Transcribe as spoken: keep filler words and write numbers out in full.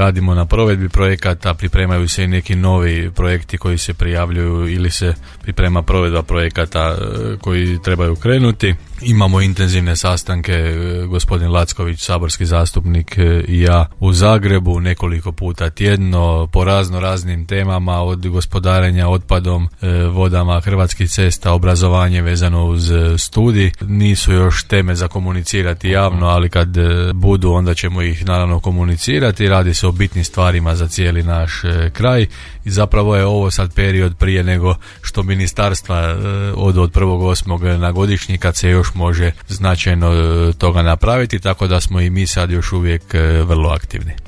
radimo na provedbi projekata, pripremaju se i neki novi projekti koji se prijavljuju ili se priprema provedba projekata koji trebaju krenuti. Imamo intenzivne sastanke, gospodin Lacković, saborski zastupnik, i ja u Zagrebu nekoliko puta tjedno po razno raznim temama, od gospodarenja otpadom, vodama, Hrvatskih cesta, obrazovanje vezano uz studij. Nisu još teme za komunicirati javno, ali kad budu onda ćemo ih naravno komunicirati. Radi se o bitnim stvarima za cijeli naš kraj i zapravo je ovo sad period prije nego što ministarstva od, od prvog osmog na godišnji, kad se još može značajno toga napraviti, tako da smo i mi sad još uvijek vrlo aktivni.